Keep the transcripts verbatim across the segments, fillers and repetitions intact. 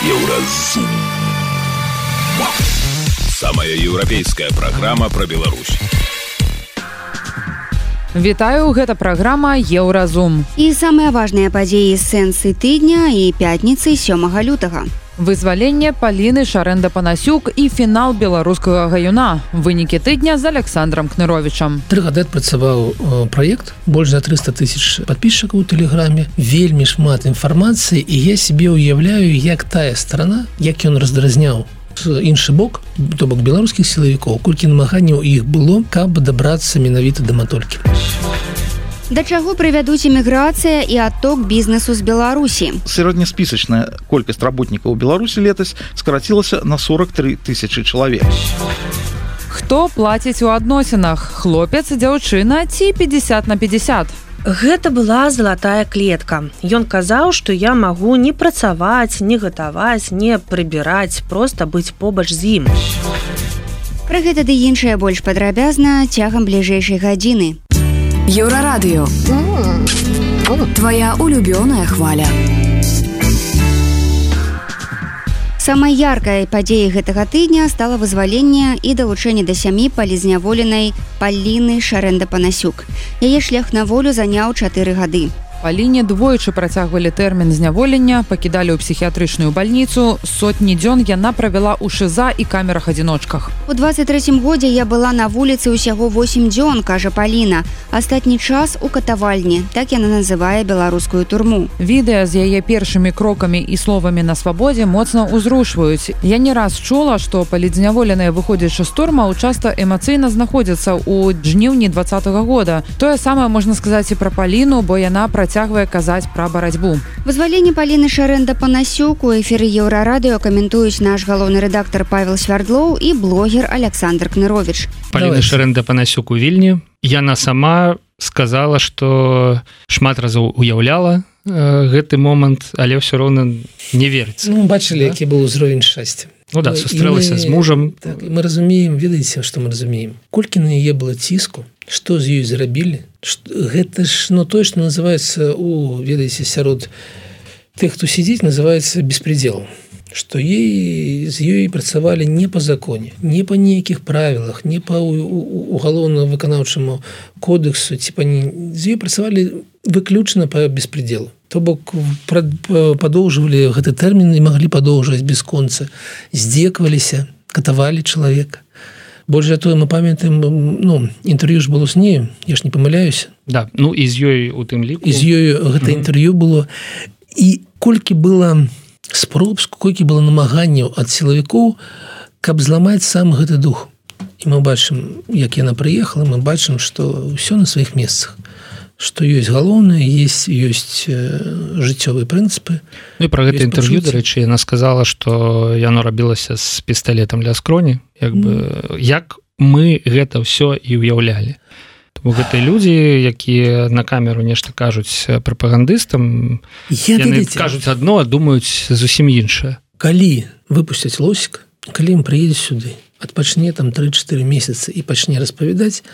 Еўразум. Самая еўрапейская праграма пра Беларусь. Вітаю, гэта праграма Еўразум. І самыя важныя падзеі з сэнсы тыдня і пятніцы сёмага лютага. Вызваленне Паліны Шарэнда-Панасюк і фінал беларускага гаюна. Вынікі тыдня з Александром Кныровічам. Тры гады адпрацаваў праект, больш за трыста тысяч падпісчыкаў у тэлеграме, вельмі шмат інфармацыі, і я себе ўяўляю, як тая старана, як ён раздразняў іншы бок, то бок беларускіх сілавікоў, колькі намаганняў іх было, каб дабрацца менавіта да матолькі. Да чаго прывядуць эміграцыя і адток бізнесу з Беларусі? Сярэднеспісачная колькасць работнікаў у Беларусі летась скарацілася на сорок тры тысячы чалавек. Хто плаціць у адносінах? Хлопец, дзяўчына ці пятьдесят на пятьдесят? Гэта была залатая клетка. Ён казаў, што я магу не працаваць, не гатаваць, не прыбіраць, проста быць побач з ім. Пра гэта ды іншае больш падрабязна цягам бліжэйшай гадзіны. Еўрарадыё. Твоя улюбёная хваля. Самай яркай падзеяй гэтага тыдня стала вызваленне і далучэнне да сям'і палізняволенай Паліны Шарэнда-Панасюк. Яе шлях на волю заняў чатыры гады. Паліне двойчы працягвалі тэрмін зняволення, пакідалі ў псіхіятрычную бальніцу. Сотні дзён яна правяла ў ШЗА і камерах-адзіночках. У двадцать трэцім годзе я была на вуліцы ўсяго восем дзён, кажа Паліна. Астатні час у катавальні, так яна называе беларускую турму. Відэа з яе першымі крокамі і словамі на свабодзе моцна ўзрушваюць. Я не раз чула, што палітзняволеныя выходзячы з турмаў часта эмацыйна знаходзяцца ў жніўні двадцатага года. Тое самае можна сказаць і пра Паліну, бо яна працягвае цягвае казаць пра барацьбу. Вызваленне Паліны Шарэнда-Панасюк у эфіры Еўрарадыё каментуюць наш галоўны рэдактар Павел Свярдлоў і блогер Александр Кныровіч. Паліна Шарэнда-Панасюк у Вільні. Яна сама сказала, што шмат разоў уяўляла э, гэты момант, але ўсё роўна не верыцца. Ну, бачылі, да? Які быў узровень шчасця. Ну да, сустрэлася з мужам. Так, мы разумеем, ведаеце, што мы разумеем. Колькі на яе было ціску, што з ёй зрабілі? Гэта ж, ну, тое, што называецца у, ведаеце, сярод тых, хто сидзіць, называецца беспредел. Што ей, з ёй працавалі не па законе, не па нейкіх правілах, не па угалоўна-выканаўчаму кодексу, ці па не... з ёй працавалі выключна па беспределу. То бок падоўжвалі гэты тэрмін і маглі падоўжваць без конца. Здзекваліся, катавалі чалавека. Больш за тое, мы памятаем, ну, інтэрв'ю ж было з нею, я ж не памыляюся. Да, ну і з ёй у тым ліку. І з ёй гэта mm-hmm. інтэрв'ю было. І колькі было спроб, колькі было намаганняў ад сілавікоў, каб зламаць сам гэты дух. І мы бачым, як яна прыехала, мы бачым, што ўсё на сваіх месцах. Што ёсць галоўнае, ёсць, ёсць жыццёвыя прынцыпы. Ну і пра гэта інтэрв'ю, дарэчы, яна сказала, што яно рабілася з пісталетам ля скроні, як бы, mm. як мы гэта ўсё і ўяўлялі. Тому гэта людзі, якія на камеру нешта кажуць прапагандыстам, я, яны дадзіце. Кажуць адно, а думаюць зусім іншае. Калі выпусцяць Лосіка, калі ім прыедзе сюды, адпачне там тры-чатыры месяцы і пачне распавядаць,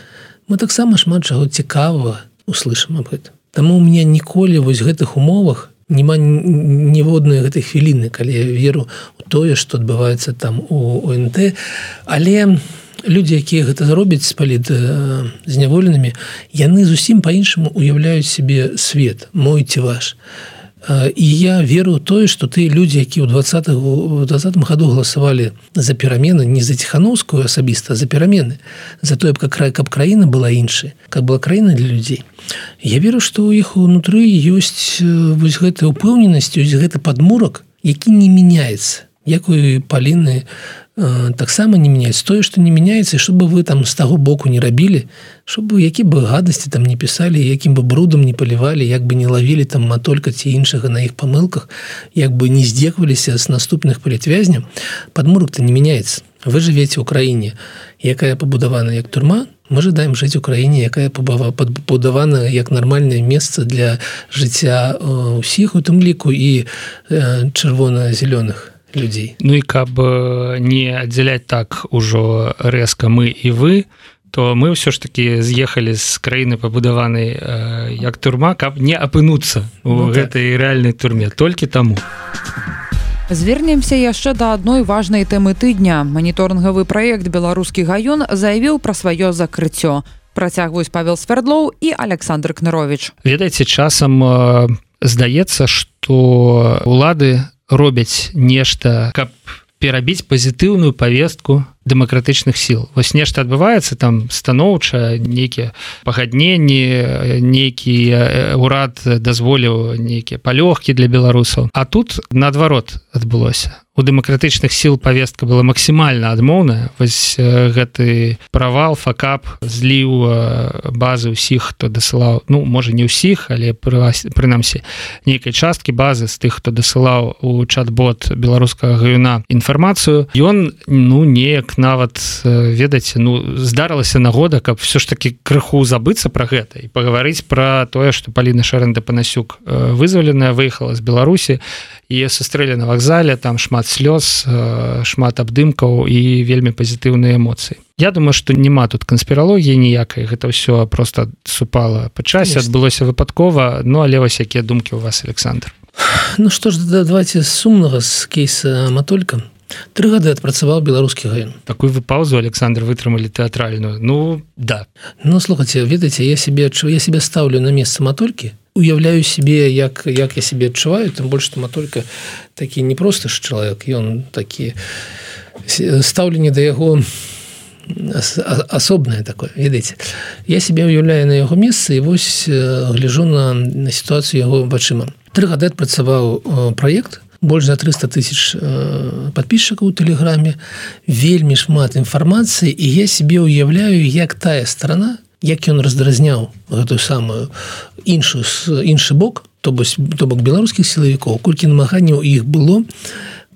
мы таксама шмат чаго цікавага услышим об гэтым. Таму у меня ніколі вось гэтых умовах няма ніводнай гэтай хвіліны, калі я веру у тое, што адбываецца там у ОНТ, але людзі, якія гэта зробяць з палітзняволенымі, яны зусім па-іншаму уяўляюць сябе свет, мой ці ваш. І я веру ў тое, што тыя людзі, якія ў двадцатым году галасавалі за перамены, не за Ціхановскую асабіста, а за перамены, за тое, каб краіна была іншай, каб была краіна для людзей. Я веру, што ў іх унутры ёсць вось гэтая ўпэўненасць, ёсць гэты падмурак, які не мяняецца. Як у Паліны таксама не мяняецца. Тое, што не мяняецца, і щоб вы там з таго боку не рабілі, щоб які бы гадасці там не пісалі, якім бы брудам не палівалі, як бы не лавілі там матолька ці іншага на іх памылках, як бы не здзекваліся з наступных палітвязняў, падмурак-то не мяняецца. Вы жывеце ў краіне, якая пабудавана як турма, мы жадаем жыць у краіне, якая пабудавана як нармальнае месца для жыцця ўсіх, у тым ліку і чырвона-зялёных людзей. Ну і каб не аддзяляць так ужо рэзка мы і вы, то мы ўсё ж такі з'ехалі з краіны пабудаванай э, як турма, каб не апынуцца у ну, гэтай так. рэальнай турме, толькі таму. Звернемся яшчэ да адной важнай тэмы тыдня. Маніторынгавы праект «Беларускі гаён» заявіў пра сваё закрыццё. Працягваюць Павел Свердлоў і Александр Кнырович. Ведаеце, часам э, здаецца, што улады робяць нешта, каб перабіць пазітыўную павестку дэмакратычных сіл. Вось нешта адбываецца там станоўча, нейкія пагадненні, нейкі ўрад дазволіў нейкія палёгкі для беларусаў. А тут наадварот адбылося. У дэмакратычных сіл павестка была максімальна адмоўная. Вось гэты правал, факап зліў базы ўсіх, хто дасылаў, ну, можа, не ўсіх, але прынамсі нейкай часткі базы з тых, хто дасылаў у чат-бот беларускага гаюна інфармацыю. Ён, ну, неяк нават, ведаеце, ну, здарылася нагода, каб все ж таки крыху забыцца пра гэта і пагаварыць пра тое, што Паліна Шарэнда-Панасюк вызваленая, выехала з Беларусі, і сустрэлі на вакзале, там шмат слёз, шмат абдымкаў і вельмі пазітыўныя эмоцыі. Я думаю, што няма тут канспіралогіі ніякай, гэта ўсё просто супала па часе, адбылося выпадкова, ну, але вось якія думкі ў вас, Александр? Ну што ж, давайте з сумнага, з кейса Матолька. Тры гады адпрацаваў беларускі гаён. Такую вы паузу, Александр, вытрымалі тэатральную. Ну, да. Ну, слухайце, ведаеце, я себе, я себе ставлю на месца Матолькі, уяўляю себе, як, як я себе адчуваю, тым больш, што Матолька такі не просто ж чалавек, ён такі стаўленне да яго асобнае такое, ведаеце. Я себе уяўляю на яго месца і вось гляжу на, на сітуацыю яго вачыма. Тры гады адпрацаваў праект, больш за триста тысяч подписчикаў у тэлеграме, вельмі шмат інфармацыі, і я себе уяўляю, як тая страна, як ён раздразняў гэтую самую іншую, іншы бок, то бок беларускіх сілавікоў, колькі намаганняў іх было,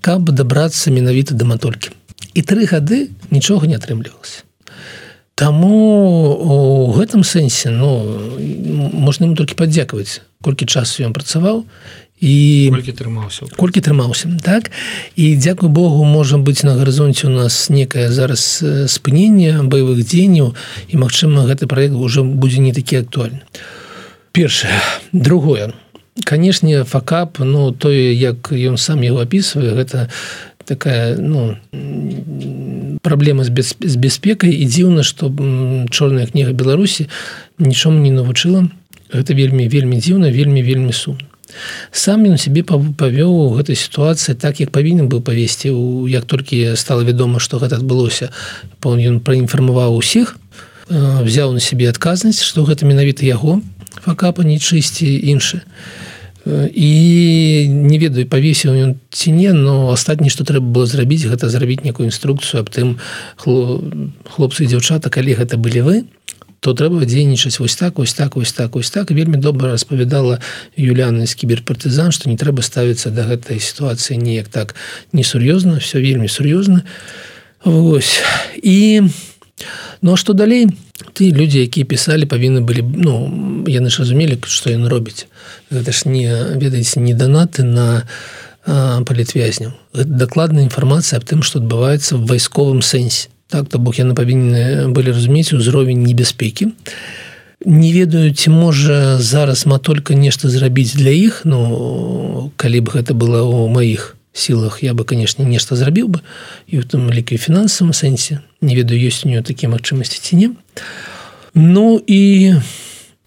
каб дабрацца менавіта да Матолькі. І тры гады нічога не атрымлівалася. Таму у гэтым сэнсе, ну, можна ему толькі падзякаваць, колькі часу ён працаваў, і колькі трымаўся колькі трымаўся, так? І дзякуй Богу, можа быць, на гарызонце у нас некае зараз спыненне баявых дзеянняў, і, магчыма, гэты праект ўжо будзе не такі актуальны. Першае. Другое. Канешне, факап, ну, тое, як ён сам яго апісвае, гэта такая, ну, праблема з, без, з бяспекай, і дзіўна, што чорная кніга Беларусі нічому не навучыла. Гэта вельмі, вельмі дзіўна, вельмі, вельмі сумна. Сам ён себе павёў у гэтай сітуацыі так, як павінен быў павесці. Як толькі стала вядома, што гэта адбылося, ён праінфармаваў усіх, взяў на себе адказнасць, што гэта менавіта яго факапа, не чысці іншы. І не ведаю, павесіў ён ці не, но астатняе, што трэба было зрабіць, гэта зрабіць некую інструкцыю аб тым, хлопцы і дзяўчата, калі гэта былі вы, то трэба дзейнічаць вось так, вось так, вось так, вось так. Вельмі добра распавядала Юліана з кіберпартызан, што не трэба ставіцца да гэтай сітуацыі неяк так несур'ёзна, все вельмі сур'ёзна. Вось. І, ну, а што далей? Ты, людзі, якія пісалі, павінны былі, ну, яны ж разумелі, што яны робяць. Гэта ж не, ведаеце, не данаты на а, палітвязняў. Гэта дакладная інфармацыя аб тым, што адбываецца в вайсковым сэнсе. Так, то бок яны павінны былі разумець узровень небяспекі. Не ведаю, ці можа зараз Матолька нешта зрабіць для іх, ну, калі б гэта было ў маіх сілах, я бы, канешне, нешта зрабіў бы, і ў тым ліку фінансавым сэнсе. Не ведаю, ёсць у нее такія магчымасці ці не. Ну, і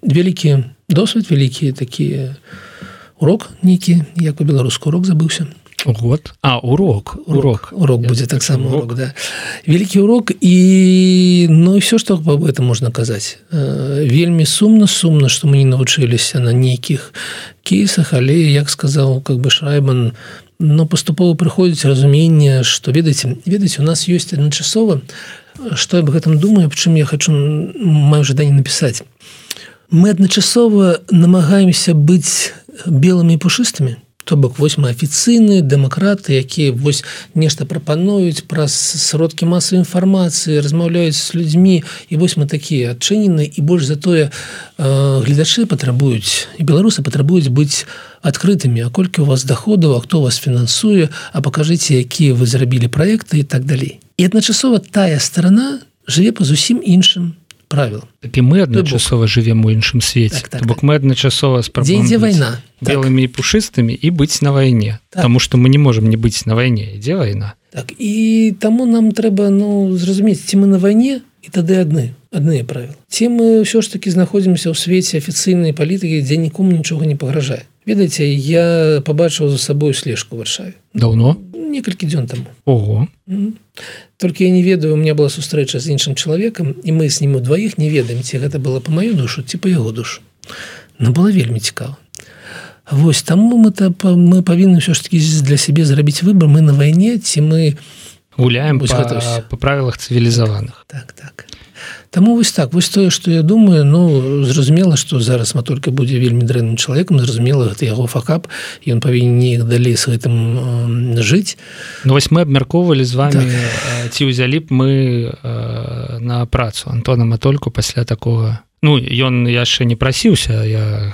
вялікі досвед, вялікі такі урок нейкі, як у беларуску урок забыўся. Год. А, урок. Урок. Урок будзе таксама урок, да. Вялікі урок, і, ну, і все, што аб гэтым можна казаць. Вельмі сумна, сумна, што мы не навучыліся на нейкіх кейсах, але, як сказаў, как бы, Шрайбан, но паступова прыходзіць разуменне, што, ведаеце, ведаеце, у нас ёсць адначасова, што я аб гэтым думаю, аб чым я хачу, маю жаданне напісаць. Мы адначасова намагаемся быць белымі і пушыстымі, то бок вось мы афіцыйныя дэмакраты, якія вось нешта прапануюць праз сродкі масавай інфармацыі, размаўляюць з людзьмі, і вось мы такія адчыненыя, і больш за тое гледачы патрабуюць, і беларусы патрабуюць быць адкрытымі, а колькі у вас даходаў, а хто вас фінансуе, а пакажыце, якія вы зрабілі праекты і так далей. І адначасова тая старана жыве па зусім іншым правілам. Так і мы адначасова жывем у іншым свеце. Так, так, бок так. мы адначасова спрабуем быць вайна белымі і пушыстымі і быць на вайне. Так. Таму што мы не можам не быць на вайне, ідзе вайна. Так, і таму нам трэба ну зразумець, ці мы на вайне, і тады адны адныя правілы. Ці мы ўсё ж такі знаходзімся ў свеце афіцыйнай палітыкі, дзе нікому нічога не пагражае. Ведаеце, я пабачыў за сабой слежку ў Варшаве. Даўно? Некалькі дзён таму. Ого. Mm-hmm. Толькі я не ведаю, у меня была сустрэча з іншым чалавекам, і мы з ним удваіх не ведаем, ці гэта было па маю душу, ці па яго душу. Но было вельмі цікава. Вось таму мы, мы павінны ўсё ж такі для сябе зрабіць выбор, мы на вайне, ці мы гуляем па, па правілах цывілізаваных. Так, так. Таму вось так, вось тое, што я думаю, ну, зразумела, што зараз Матолька будзе вельмі дрэнным чалавекам, зразумела, гэта яго факап, і ён павінен неяк далей з гэтым э, жыць. Ну, вось мы абмяркоўвалі з вами, так. ці ўзялі б мы э, на працу Антона Матольку пасля такога. Ну, ён яшчэ не прасіўся, я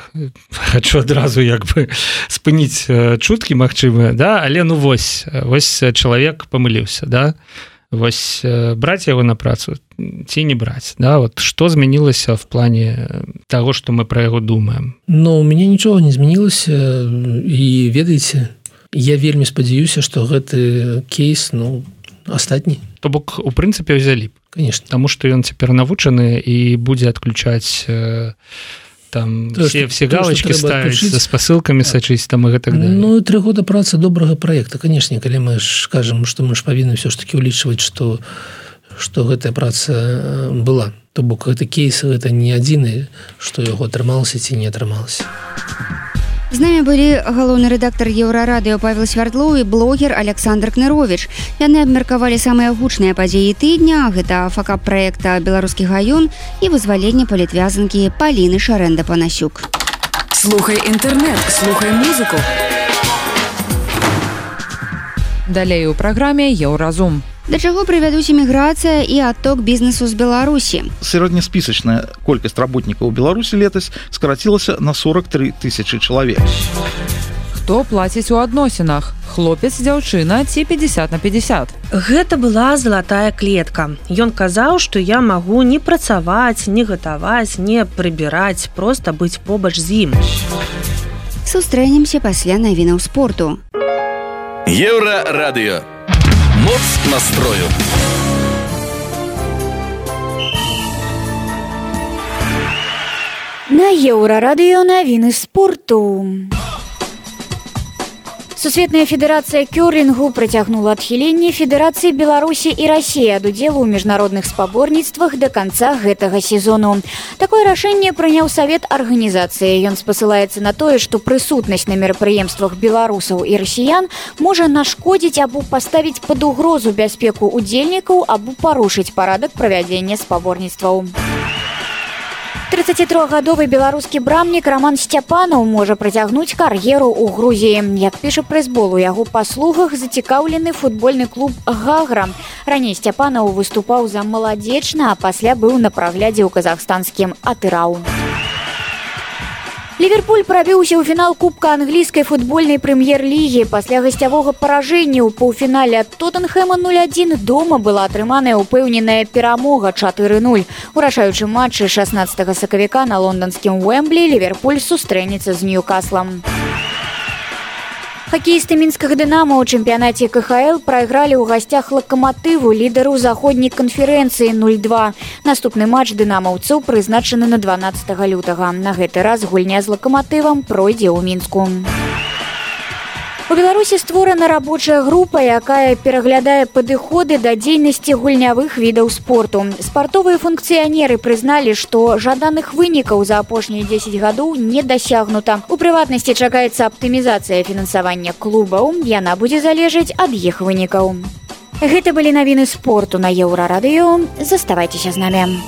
хачу адразу як бы спыніць чуткі магчымыя, да? Але ну вось, вось чалавек памыліўся, да? Вось браць яго на працу ці не браць, да? Вот што змянілася в плане таго, што мы пра яго думаем? Ну, у мяне нічога не змянілася, і ведаеце, я вельмі спадзяюся, што гэты кейс, ну, астатні. То бок, у прынцыпе, ўзялі б. Конечно. Таму што ён цяпер навучаны і будзе адключаць э, там то, все, все галочки ставіць, за спасылкамі сачыць там і гэтак далей. Ну, тры года працы добрага праекта, конечно, калі мы ж кажам, што мы ж павінны ўсё ж такі ўлічваць, што, што гэтая праца была. То бок, гэты кейс, гэта не адзіны, што яго атрымалася ці не атрымалася. З намі былі галоўны рэдактар Еўрарадыё Павел Свярдлоў і блогер Александр Кныровіч. Яны абмеркавалі самыя гучныя падзеі тыдня, гэта факап праекта «Беларускі гаён» і вызваленне палітвязанкі Паліны Шарэнда-Панасюк. Слухай інтэрнэт, слухай музыку. Далей у праграме «Еўразум». Да чаго прывядуць эміграцыя і адток бізнесу з Беларусі? Сярэднеспісачная колькасць работнікаў у Беларусі летась скарацілася на сорок тры тысячы чалавек. Хто плаціць у адносінах? Хлопец, дзяўчына ці пятьдесят на пятьдесят? Гэта была залатая клетка. Ён казаў, што я магу не працаваць, не гатаваць, не прыбіраць, проста быць побач з ім. Сустрэнемся пасля навінаў спорту. Еўрарадыё. Моц настрою. На Еўрарадыё навіны спорту. Сусветная федэрацыя кёрлінгу працягнула адхіленне Федэрацыі Беларусі і Расіі ад удзелу ў міжнародных спаборніцтвах да канца гэтага сезону. Такое рашэнне прыняў савет арганізацыі. Ён спасылаецца на тое, што прысутнасць на мерапрыемствах беларусаў і расіян можа нашкодзіць або паставіць пад угрозу бяспеку удзельнікаў або парушыць парадак правядзення спаборніцтваў. трыццацітрохгадовы беларускі брамнік Роман Сцяпанаў можа працягнуць кар'еру ў Грузіі. Як піша прэсбол, у яго паслугах зацікаўлены футбольны клуб «Гагра». Раней Сцяпанаў выступаў за «Маладзечна», а пасля быў на праглядзе ў казахстанскім «Атырау». Ливерпуль прабіўся ў фінал Кубка англійскай футбольнай прэм'ер-лігі. Пасля гасцявога паражэння ў паўфінале ад Тоттенхэма нуль адзін дома была атрыманая ўпэўненая перамога чатыры нуль. У рашаючым матчы шаснаццатага сакавіка на лонданскім Уэмблі Ливерпуль сустрэнецца з Ньюкаслам. Хакеісты мінскага «Дынамо» ў чэмпіянаце ка ха эл прайгралі ў гасцях «Лакаматыву», лідару заходняй канферэнцыі нуль два. Наступны матч дынамаўцаў прызначаны на дванаццатага лютага. На гэты раз гульня з «Лакаматывам» пройдзе ў Мінску. У Беларусі створана рабочая група, якая пераглядае падыходы да дзейнасці гульнявых відаў спорту. Спартовыя функцыянеры прызналі, што жаданых вынікаў за апошнія дзесяць гадоў не дасягнута. У прыватнасці чакаецца аптымізацыя фінансавання клубаў. Яна будзе залежаць ад іх вынікаў. Гэта былі навіны спорту на Еўрарадыё. Заставайцеся з намі.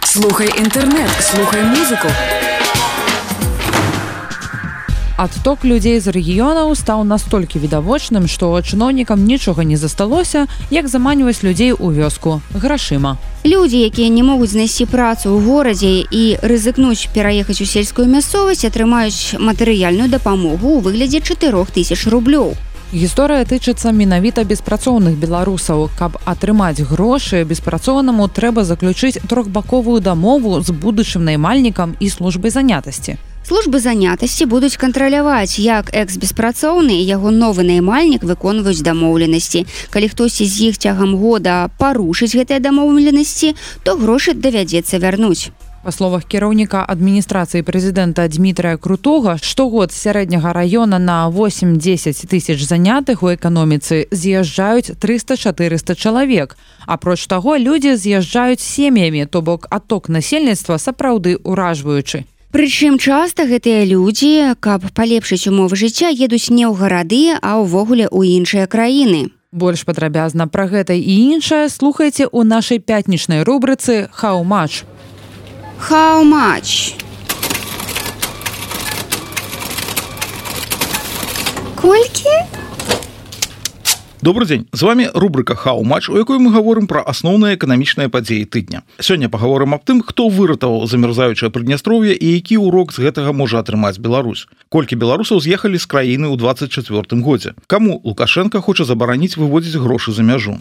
Слухай інтэрнэт, слухай музыку. Адток людзей з рэгіёнаў стаў настолькі відавочным, што чыноўнікам нічога не засталося, як заманьваць людзей у вёску грашыма. Людзі, якія не могуць знайсці працу ў горадзе і рызыкнуць пераехаць у сельскую мясцовасць, атрымаюць матэрыяльную дапамогу ў выглядзе чатырох тысяч рублёў. Гісторыя тычыцца менавіта беспрацоўных беларусаў. Каб атрымаць грошы, беспрацоўнаму трэба заключыць трохбаковую дамову з будучым наймальнікам і службай занятасці. Службы занятасці будуць кантраляваць, як экс-беспрацоўны і яго новы наймальнік выконваюць дамоўленасці. Калі хтосьці з іх цягам года парушыць гэтыя дамоўленасці, то грошы давядзецца вярнуць. Па словах кіраўніка адміністрацыі прэзідэнта Дмітрая Крутога, штогод з сярэдняга раёна на восемь-дзесяць тысяч занятых у эканоміцы з'язджаюць трыста-чатырыста чалавек. Апроч таго, людзі з'язджаюць сем'ямі, то бок адток насельніцтва сапраўды ўражваючы. Прычым часта гэтыя людзі, каб палепшыць умовы жыцця, едуць не ў гарады, а ўвогуле ў іншыя краіны. Больш падрабязна пра гэта і іншае слухайце ў нашай пятнічнай рубрыцы «How much?». How much? Колькі? Добрый дзень, з вами рубрика «How much?», у якой мы гаворым пра асноўныя эканамічныя падзеі тыдня. Сёння пагаворым аб тым, хто выратаваў замярзаючае Прыднястроўе і які ўрок з гэтага можа атрымаць Беларусь. Колькі беларусаў з'ехалі з краіны ў двадцать чацвёртым годзе. Каму Лукашенко хоча забараніць выводзіць грошы за мяжу.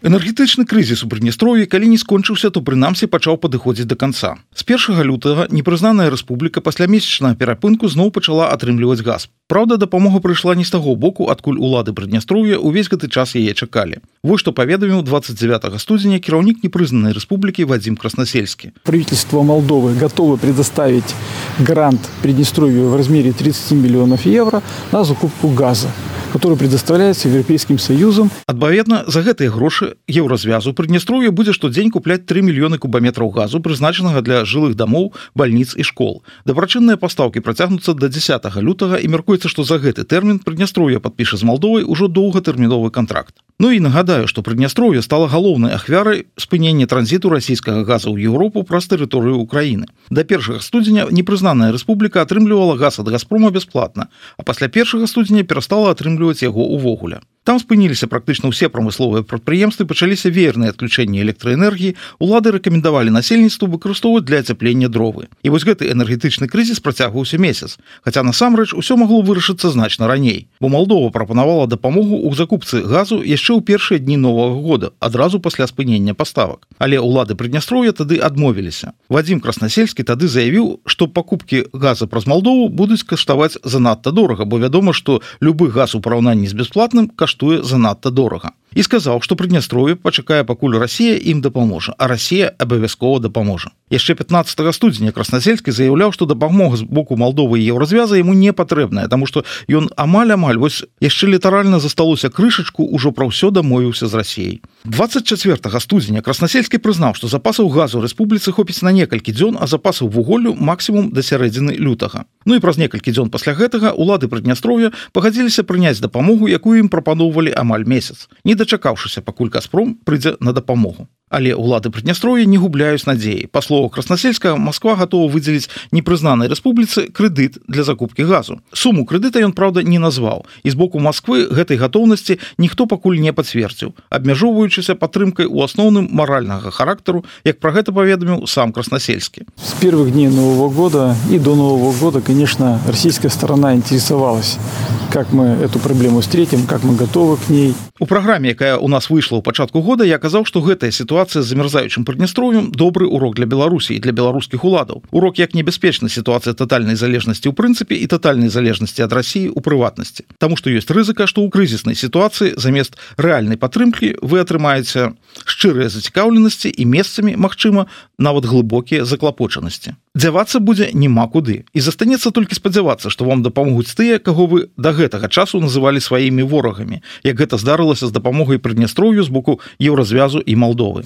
Энергетычны крызіс у Прыднястроўі, калі не скончыўся, то прынамсі пачаў падыходзіць да канца. З першага лютага непрызнаная рэспубліка пасля месячнага перапынку зноў пачала атрымліваць газ. Праўда, дапамога прыйшла не з таго боку, адкуль улады Прыднястроўя ўвесь гэты час яе чакалі. Вось што паведаміў двадцать девятого студзеня кіраўнік непрызнанай рэспублікі Вадзім Краснасельскі. Правительство Молдовы готовы предоставить грант Приднестровью в размере тридцать миллионов евро на закупку газа, который предоставляется Европейским Союзом. Адпаведна, за гэтыя грошы еўразвязу Прыднястроўе будзе штодзень купляць тры мільёны кубаметраў газу, прызначанага для жылых дамоў, бальніц і школ. Дабрачынныя пастаўкі працягнуцца да дзесятага лютага і мяркуецца, што за гэты тэрмін Прыднястроўе падпіша з Малдовай ужо доўгатэрміновы кантракт. Ну і нагадаю, што Прыднястроўе стала галоўнай ахвярай спынення транзіту расійскага газа ў Еўропу праз тэрыторыю Украіны. Да першага студзеня непрызнаная рэспубліка атрымлівала газ ад Газпрома бясплатна, а пасля першага студзеня перастала атрымліваць яго ўвогуле. Там спыніліся практычна ўсе прамысловыя прадпрыемствы, пачаліся веерныя адключэнні электраэнергіі, улады рэкамендавалі насельніцтву выкарыстоўваць для ацяплення дровы. І вось гэты энергетычны крызіс працягваўся месяц, хаця насамрэч усё магло вырашыцца значна раней, бо Малдова прапанавала дапамогу ў закупцы газу яшчэ ў першыя дні новага года, адразу пасля спынення паставак. Але ўлады Прыднястроўя тады адмовіліся. Вадзім Краснасельскі тады заявіў, што пакупкі газа праз Малдову будуць каштаваць занадта дорага, бо вядома, што любы газ у параўнанні з бясплатным каштуе занадта дорага. І сказаў, што Прыднястроўе пачакае, пакуль Расія ім дапаможа, а Расія абавязкова дапаможа. Яшчэ пятнадцатага студзеня Краснасельскі заяўляў, што дапамога з боку Малдовы і еўразвяза яму не патрэбная, таму што ён амаль-амаль вось яшчэ літаральна засталося крышачку, ужо пра ўсё дамовіўся з Расіяй. двадцать четвёртого студзеня Краснасельскі прызнаў, што запасаў газу рэспубліцы хопіць на некалькі дзён, а запасаў вуголлю максімум да сярэдзіны лютага. Ну і праз некалькі дзён пасля гэтага улады Прыднястроўя пагадзіліся прыняць дапамогу, якую ім прапаноўвалі амаль месяц, не дачакаўшыся, пакуль Газпром прыйдзе на дапамогу. Але ўлады Прыднястроўя не губляюць надзеі. Па словах Краснасельскага, Масква гатова выдзеліць непрызнанай рэспубліцы крэдыт для закупкі газу. Суму крэдыта ён, праўда, не назваў. І з боку Масквы гэтай гатоўнасці ніхто пакуль не пацвердзіў, абмяжоўваючыся падтрымкай у асноўным маральнага характару, як пра гэта паведаміў сам Краснасельскі. С первых дней Нового года и до Нового года, конечно, российская сторона интересовалась, как мы эту проблему встретим, как мы готовы к ней. У праграме, якая у нас выйшла ў пачатку года, я казаў, што гэтая сітуацыя з замярзаючым Прыднястроўем добры урок для Беларусі і для беларускіх уладаў. Урок, як небяспечна сітуацыя татальнай залежнасці ў прынцыпе і татальнай залежнасці ад Расіі ў прыватнасці. Таму што ёсць рызыка, што ў крызіснай сітуацыі замест рэальнай падтрымкі вы атрымаеце шчырыя зацікаўленасці і месцамі, магчыма, нават глыбокія заклапочанасці. Дзявацца будзе няма куды. І застанецца толькі спадзявацца, што вам дапамогуць тыя, каго вы да гэтага часу называлі сваімі ворагамі, як гэта здарылася з дапамогай Прыднястроўю з боку еўразвязу і Малдовы.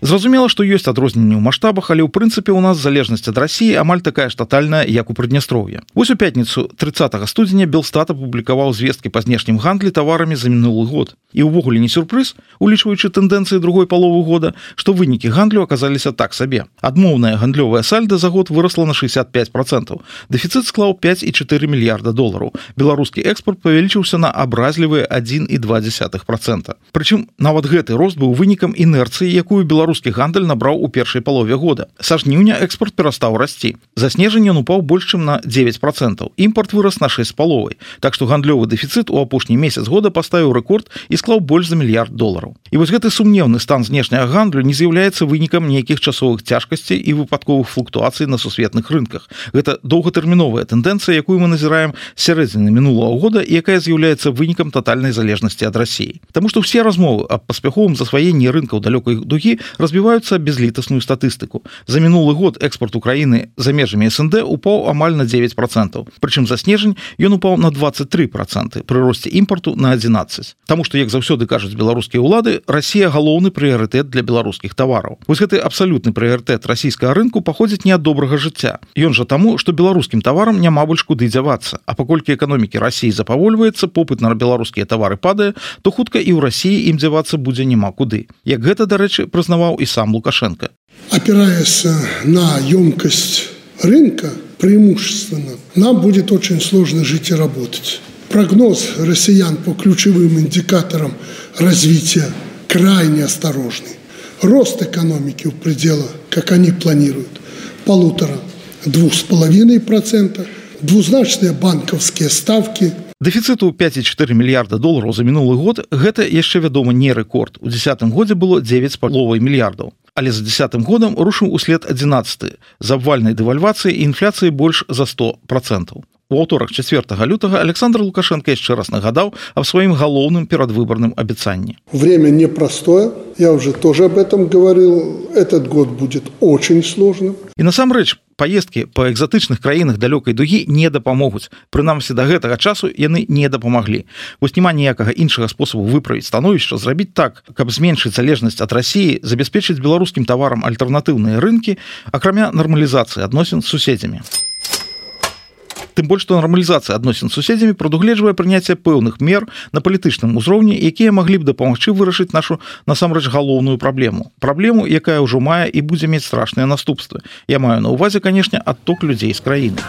Зразумела, што ёсць адрозненні ў маштабах, але ў прынцыпе ў нас залежнасць ад Расіі амаль такая ж татальная, як у Прыднястроўя. Вось у пятніцу тридцатого студзеня Белстат апублікаваў звесткі па знешнім гандлі таварамі за мінулы год. І ўвогуле не сюрпрыз, улічваючы тэндэнцыі другой паловы года, што вынікі гандлю аказаліся так сабе. Адмоўная гандлёвая сальда за год вырасла на шестьдесят пять процентов. Дэфіцыт склаў пять і четыре мільярда долараў. Беларускі экспорт павялічыўся на абразлівыя один і два десятых процента. Прычым нават гэты рост быў вынікам інерцыі, якую Беларусь беларускі гандаль набраў у першай палове года. Са жніўня экспорт перастаў расці. За снежань ён упаў больш чым на дзевяць процентаў. Імпорт вырас на шэсць з паловай. Так што гандлёвы дэфіцыт у апошні месяц года паставіў рэкорд і склаў больш за мільярд долараў. І вось гэты сумнеўны стан знешняга гандлю не з'яўляецца вынікам нейкіх часовых цяжкасцей і выпадковых флуктуацый на сусветных рынках. Гэта доўгатэрміновая тэндэнцыя, якую мы назіраем з сярэдзіны мінулага года і якая з'яўляецца вынікам татальнай залежнасці ад Расіі. Таму што ўсе размовы аб паспяховым засваенні рынкаў далёкай дугі разбіваюцца безлітасную статыстыку. За мінулы год экспорт Украіны за межамі эс эн дэ упаў амаль на дзевяць процентаў. Прычым за снежань ён упаў на двадцать три проценты, пры росце імпарту на адзінаццаць. Таму што, як заўсёды кажуць беларускія ўлады, Расія галоўны прыярытэт для беларускіх тавараў. Вось гэты абсалютны прыярытэт расійскага рынку паходзіць не ад добрага жыцця. Ён жа таму, што беларускім таварам няма больш куды дзявацца. А паколькі эканомікі Расіі запавольваецца, попыт на беларускія тавары падае, то хутка і ў Расіі ім дзявацца будзе няма куды. Як гэта, дарэчы, прызнаваў і сам Лукашенко. Опираясь на емкость рынка, преимущественно, нам будет очень сложно жить и работать. Прогноз россиян по ключевым индикаторам развития крайне осторожный. Рост экономики в пределах, как они планируют, полутора, двух с половиной процента, двузначные банковские ставки. Дэфіцыту пяць і чатыры мільярда долараў за мінулы год гэта яшчэ, вядома, не рэкорд. У дзесятым годзе было дзевяць з паловай мільярдаў. Але за дзесятым годам рушыў услед адзінаццаты з абвальнай дэвальвацыі і інфляцыі больш за сто процентаў. У аўторак чацвёртага лютага Александр Лукашенко яшчэ раз нагадаў аб сваім галоўным перадвыбарным абяцанні. Время непростое, я уже тоже об этом говорил, этот год будет очень сложным. І насамрэч, паездкі па экзатычных краінах далёкай дугі не дапамогуць. Прынамсі, да гэтага часу яны не дапамаглі. Вось няма ніякага іншага спосабу выправіць становішча, зрабіць так, каб зменшыць залежнасць ад Расіі, забяспечыць беларускім таварам альтэрнатыўныя рынкі, акрамя нармалізацыі адносін з суседзямі. Тым больш, што нармалізацыя адносін з суседзямі прадугледжвае прыняцце пэўных мер на палітычным узроўні, якія маглі б дапамагчы вырашыць нашу насамрэч галоўную праблему. Праблему, якая ўжо мае і будзе мець страшныя наступствы. Я маю на ўвазе, канешне, адток людзей з краіны.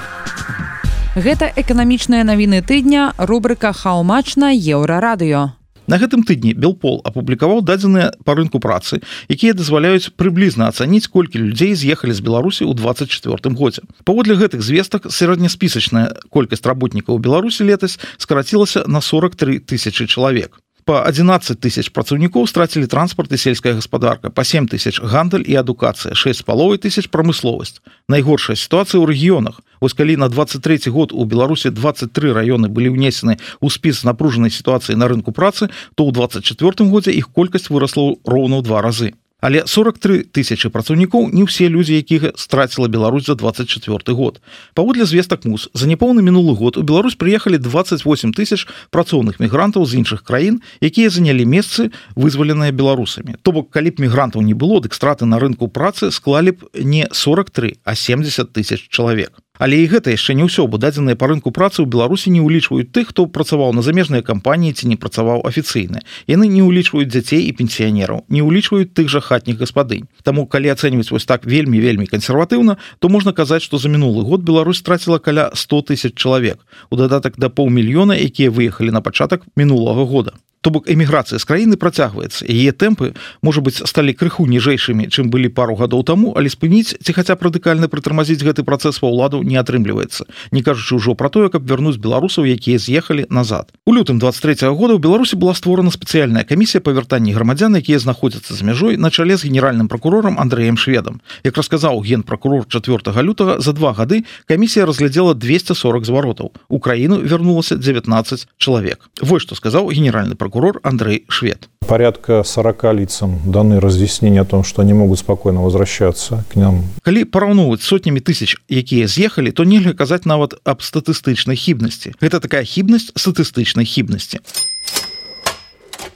Гэта эканамічныя навіны тыдня, рубрыка «How much» на Еўрарадыё. На гэтым тыдні Белпол апублікаваў дадзеныя па рынку працы, якія дазваляюць прыблізна ацаніць, колькі людзей з'ехалі з Беларусі ў двадцать чвёртым годзе. Паводле гэтых звестак сярэдняспісачная колькасць работнікаў у Беларусі летась скарацілася на сорок три тысячы чалавек. Па адзінаццаць тысяч працаўнікоў страцілі транспарт і сельская гаспадарка, па сем тысяч гандаль і адукацыя, шэсць з паловай тысяч прамысловасць. Найгоршая сітуацыя ў рэгіёнах. Вось калі на двадцать трэці год у Беларусі двадцать три раёны былі ўнесены ў спіс напружанай сітуацыі на рынку працы, то ў двадцать чвёртым годзе іх колькасць вырасла роўна ў два разы. Але сорок три тысячы працаўнікоў не ўсе людзі, якіх страціла Беларусь за двадцать чвёрты год. Паводле звестак МУС, за няпоўны мінулы год у Беларусь прыехалі двадцать восемь тысяч працоўных мігрантаў з іншых краін, якія занялі месцы, вызваленыя беларусамі. То бок, калі б мігрантаў не было, дык страты на рынку працы склалі б не сорок три, а семьдесят тысяч чалавек. Але і гэта яшчэ не ўсё, бо дадзеныя па рынку працы ў Беларусі не ўлічваюць тых, хто працаваў на замежныя кампаніі ці не працаваў афіцыйна. Яны не ўлічваюць дзяцей і пенсіянераў, не ўлічваюць тых жа хатніх гаспадынь. Таму, калі ацэньваць вось так вельмі-вельмі кансерватыўна, то можна казаць, што за мінулы год Беларусь страціла каля сто тысяч чалавек, у дадатак да паўмільёна, якія выехалі на пачатак мінулага года. То бок, эміграцыя з краіны працягваецца. Яе тэмпы, можа быць, сталі крыху ніжэйшымі, чым былі пару гадоў таму, але спыніць ці хаця б радыкальна прытармазіць гэты працэс ва ўладу не атрымліваецца, не кажучы ўжо пра тое, каб вярнуць беларусаў, якія з'ехалі назад. У лютым двадцать трэцяга года ў Беларусі была створана спецыяльная камісія па вяртанні грамадзян, якія знаходзяцца за мяжой, на чале з генеральным пракурорам Андрэем Шведам. Як расказаў генпракурор чацвёртага лютага, за два гады камісія разглядзела двести сорок зваротаў. У краіну вярнулася дзевятнаццаць чалавек. Вось што сказаў генеральны пракурор прокурор Андрей Швед. Порядка сорока лицам даны разъяснения о том, что они могут спокойно возвращаться к нам. Калі параўноўваць сотнями тысяч, якія з'ехалі, то нельга казаць нават аб статыстычнай хібнасці. Гэта такая хібнасць статыстычнай хібнасці.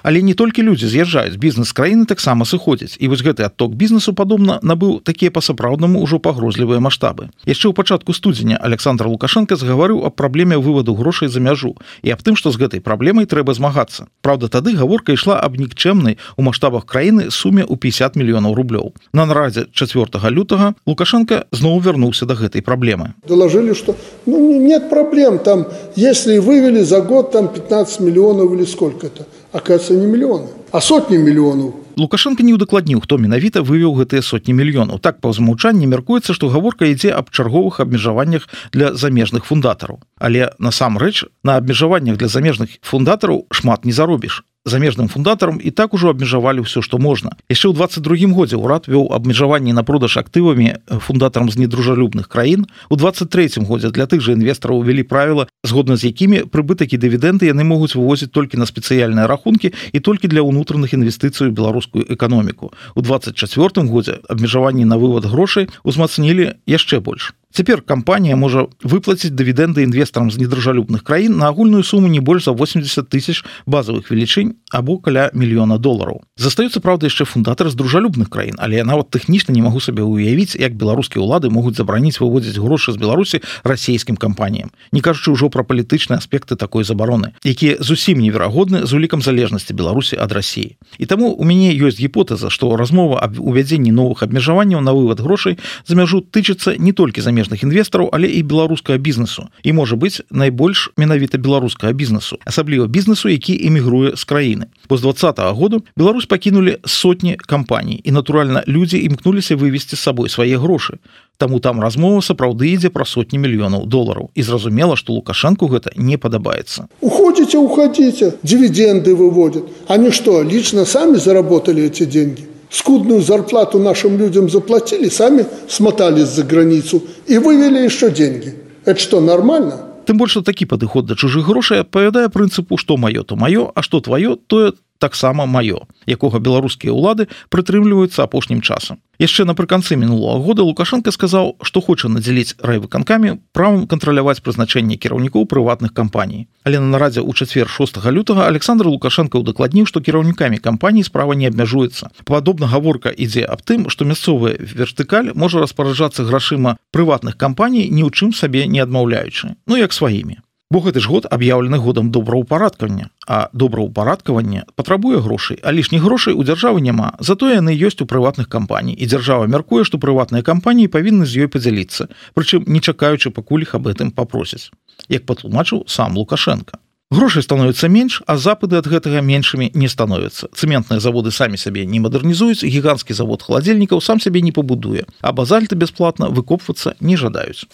Але не толькі людзі з'язджаюць, бізнес краіны таксама сыходзіць. І вось гэты адток бізнесу, падобна, набыў такія па-сапраўднаму ўжо пагрозлівыя маштабы. Яшчэ ў пачатку студзеня Александр Лукашенко згаварыў аб праблеме вываду грошай за мяжу і аб тым, што з гэтай праблемай трэба змагацца. Праўда, тады гаворка ішла аб нікчэмнай у маштабах краіны суме ў пятьдесят мільёнаў рублёў. На нарадзе чацвёртага лютага Лукашенко зноў вярнуўся да гэтай праблемы. Доложили, что ну, нет проблем, там, если вывели за год там пятнадцать миллионов или сколько-то. Оказывается, не миллионы, а сотни миллионов Лукашенко не ўдакладніў, хто менавіта вывеў гэтыя сотні мільёнаў. Так па ўзмаўчанні мяркуецца, што гаворка ідзе аб чарговых абмежаваннях для замежных фундатараў. Але насамрэч на абмежаваннях для замежных фундатараў шмат не заробіш. Замежным фундатарам і так ужо абмежавалі ўсё, што можна. Яшчэ ў двадцать другім годзе ўрад вёў абмежаванні на продаж актывамі фундатарам з недружалюбных краін. У двадцать трэцім годзе для тых жа інвестараў увялі правіла, згодна з якімі прыбытак і дывідэнды яны могуць вывозіць толькі на спецыяльныя рахункі і толькі для ўнутраных інвестыцый у беларускую эканоміку. У двадцать чацвёртым годзе абмежаванні на вывод грошай узмацнілі яшчэ больш. Цяпер кампанія можа выплаціць дывідэнды інвестарам з недружалюбных краін на агульную суму не больш за восемьдесят тысяч базавых велічынь або каля мільёна долараў. Застаюцца, праўда, яшчэ фундатары з дружалюбных краін, але я нават тэхнічна не магу сабе ўявіць, як беларускія ўлады могуць забараніць выводзіць грошы з Беларусі расійскім кампаніям. Не кажучы ўжо пра палітычныя аспекты такой забароны, якія зусім неверагодны з улікам залежнасці Беларусі ад Расіі. І таму у мяне ёсць гіпотэза, што размова аб увядзенні новых абмежаванняў на вывод грошай за мяжу тычыцца не толькі замежных інвестараў, але і беларускага бізнесу. І можа быць найбольш менавіта беларускага бізнесу, асабліва бізнесу, які эмігруе з краіны. Бо з двадцатага году Беларусь пакінулі сотні кампаній, і, натуральна, людзі імкнуліся вывесці з сабой свае грошы. Таму там размова сапраўды ідзе пра сотні мільёнаў долараў. І зразумела, што Лукашенку гэта не падабаецца. Уходите, уходите, дивиденды выводят. Они что, лично сами заработали эти деньги? Скудную зарплату нашим людям заплатили, сами смотались за границу и вывели еще деньги. Это что, нормально? Тым больш, што такі падыход да чужых грошай адпавядае прынцыпу, што маё, то маё, а што тваё, тое таксама маё, якога беларускія ўлады прытрымліваюцца апошнім часам. Яшчэ напрыканцы мінулага года Лукашенко сказаў, што хоча надзяліць райвыканкамі правам кантраляваць прызначэнне кіраўнікоў прыватных кампаній. Але на нарадзе ў чацвер шостага лютага Александр Лукашенко ўдакладніў, што кіраўнікамі кампаній справа не абмяжуецца. Падобна гаворка ідзе аб тым, што мясцовая вертыкаль можа распараджацца грашыма прыватных кампаній, ні ў чым сабе не адмаўляючы, ну як сваімі. Бо гэты ж год аб'яўлены годам добраўпарадкавання, а добраўпарадкаванне патрабуе грошай, а лішніх грошай у дзяржавы няма, затое яны ёсць у прыватных кампаній, і дзяржава мяркуе, што прыватныя кампаніі павінны з ёй падзяліцца, прычым не чакаючы, пакуль іх аб гэтым папросяць, як патлумачыў сам Лукашенко. Грошай становіцца менш, а запады ад гэтага меншымі не становяцца. Цэментныя заводы самі сабе не мадэрнізуюць, гіганцкі завод халадзільнікаў сам сабе не пабудуе, а базальты бясплатна выкопвацца не жадаюць.